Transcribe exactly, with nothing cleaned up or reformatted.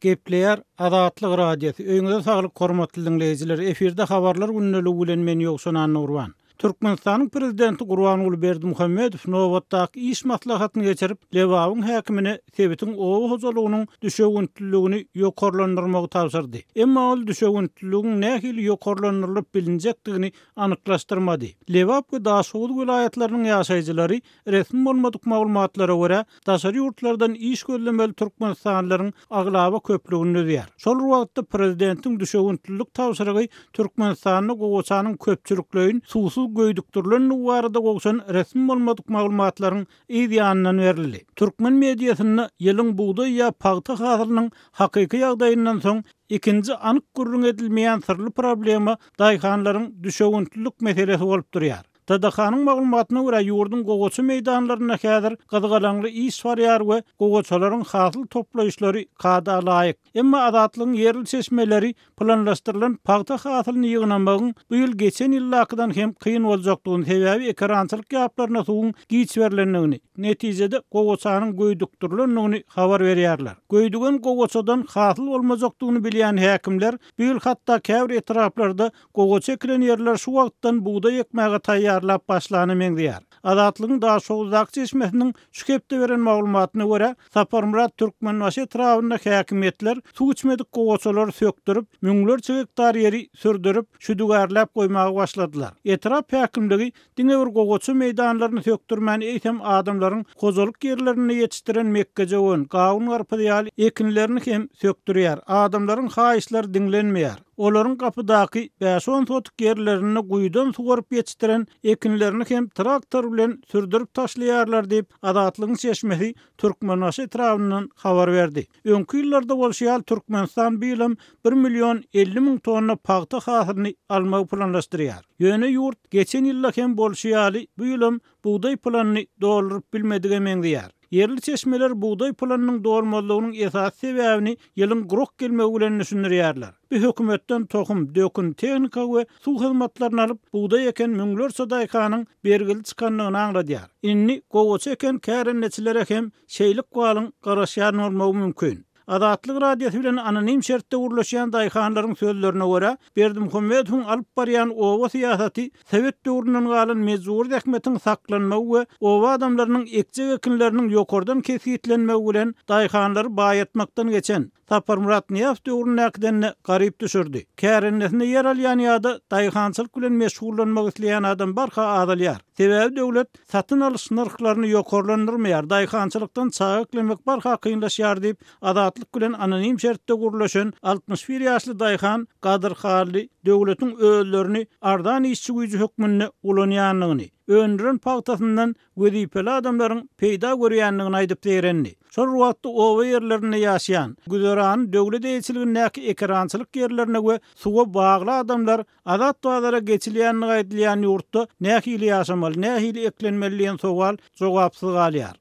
Gepleýär Azatlyk Radiosy. Öýüňize saglyk hormatly diňleýjiler. Efirde habarlar gündeligi bilen men Ýowşan Annagurban. Türkmenistanyň prezidenti Gurbanguly Berdimuhamedow nobatdaky iş maslahatyny geçirip, Lebabyň häkimine sebitiň oba hojalygynyň düşewüntliligini ýokarlandyrmagy tabşyrdy. Emma ol düşewüntliligiň nähili ýokarlandyrylyp bilinjekdigini anyklaşdyrmady. Lebap we Daşoguz welaýatlarynyň ýaşaýjylary resmi bolmadyk maglumatlara görä, daşary ýurtlardan iş gözlemeli türkmenistanlylaryň aglaba köplügini düzýär. Şol wagtda prezidentiň düşewüntlilik tabşyrygy Türkmenistanda gowaçanyň köpçülikleýin suwsuz göýdükdirilendigi barada gowşan resmi bolmadyk maglumatlaryň yz ýanyndan berildi. Türkmen mediasynda ýylyň bugdaý ýa pagta hasylynyň hakyky ýagdaýyndan soň ikinji anyk gürrüň edilmeýän syrly problema daýhanlaryň düşewüntlilik meselesi bolup durýar. TDH-nyň maglumatyna görä ýurduň gowaça meýdanlarynda häzir gyzgalaňly iş barýar we gowaçalaryň hasyl toplaýyşlary kada laýyk. Emma Azatlygyň ýerli çeşmeleri planlaşdyrylan pagta hasylyny ýygnamagyň bu ýyl geçen ýyldakydan hem kyn boljakdygyny, sebäbi ekerançylyk ýaplaryna suwuň giç berlendigini, netijede gowaçanyň göýdükdirilendigini habar berýärler. Göýdügen gowaçadan hasyl bolmajakdygyny bilýän häkimler bu ýyl hatda käbir etraplarda gowaça ekilen ýerler şu wagtdan bugdaý ekmäge taýýarlap başlany meňzeýär. Azatlygyň Daşoguzdaky çeşmesiniň şu hepde beren maglumatyna görä, Saparmyrat Türkmenbaşy etrabynda häkimiýetler suw içmedik gowaçalary sökdürip, müňlerçe gektar ýeri sürdürip, şüdügärläp goýmaga başladylar. Etrap häkimligi diňe bir gowaça meýdanlaryny sökdürmän, eýsem adamlaryň hojalyk ýerlerinde ýetişdiren mekgejöwen, gawun garpyz ýaly ekinlerini hem sökdürýär. Adamlaryň haýyşlary diňlenmeýär. Olaryň gapydaky bäş-on sotuk ýerlerinde guýudan suwaryp ýetişdiren ekinlerini hem traktor bilen sürdürip taşlaýarlar diýip, Azatlygyň çeşmesi Türkmenbaşy etrabyndan habar berdi. Öňki ýyllarda bolşy ýaly Türkmenistan bu ýylam bir million elli müň tonna pagta hasylyny almagy planlaşdyrýar. Ýöne ýurt geçen ýylda hem bolşy ýaly bu ýylam bugdaý planyny dolduryp bilmedige meňzeýär. Ýerli çeşmeler bugdaý planynyň dolmazlygynyň esasy sebäbini ýylyň gurak gelmegi bilen düşündirýärler. Bu hökümetden tohum, dökün, tehnika we suw hyzmatlaryny alyp, bugdaý eken müňlerçe daýhanyň bergili çykandygyny aňladýar. Indi gowaça eken kärendeçilere hem şeýlik walyň garaşýan bolmagy mümkin. Azatlyk Radiosy bilen anonim şertde gürleşýän daýhanlaryň sözlerine görä, Berdimuhamedowyň alyp barýan oba syýasaty Sowet döwründen galan mejbur zähmetiň saklanmagy we oba adamlarynyň ekjek ekinleriniň ýokardan kesgitlenmegi bilen daýhanlary baýatmakdan geçen Saparmyrat Nyýazow döwründäkiden garyp düşürdi. Kärendesinde ýer alýan ýa-da daýhançylyk bilen meşgullanmak isleýän adam barha azalýar. Sebäbi döwlet satyn alyş nyrhlaryny ýokarlandyrmaýar, daýhançylykdan çaga eklemek barha kynlaşýar diýip, Azatlyk bilen anonim şertde gürleşen altmyş bir ýaşly daýhan Gadyr Hally döwletiň özlerini arzan işçi güýji hökmünde ulanýandygyny, öndüren pagtasyndan wezipeli adamlaryň peýda görýändigini aýdyp zeýrendi. Şol wagtda oba ýerlerinde ýaşaýan, güzerany döwlet eýeçiligindäki ekerançylyk ýerlerine we suwa bagly adamlar azat bazara geçilýändigi aýdylýan ýurtda nähili ýaşamaly, nähili eklenmeli diýen sowal jogapsyz galýar.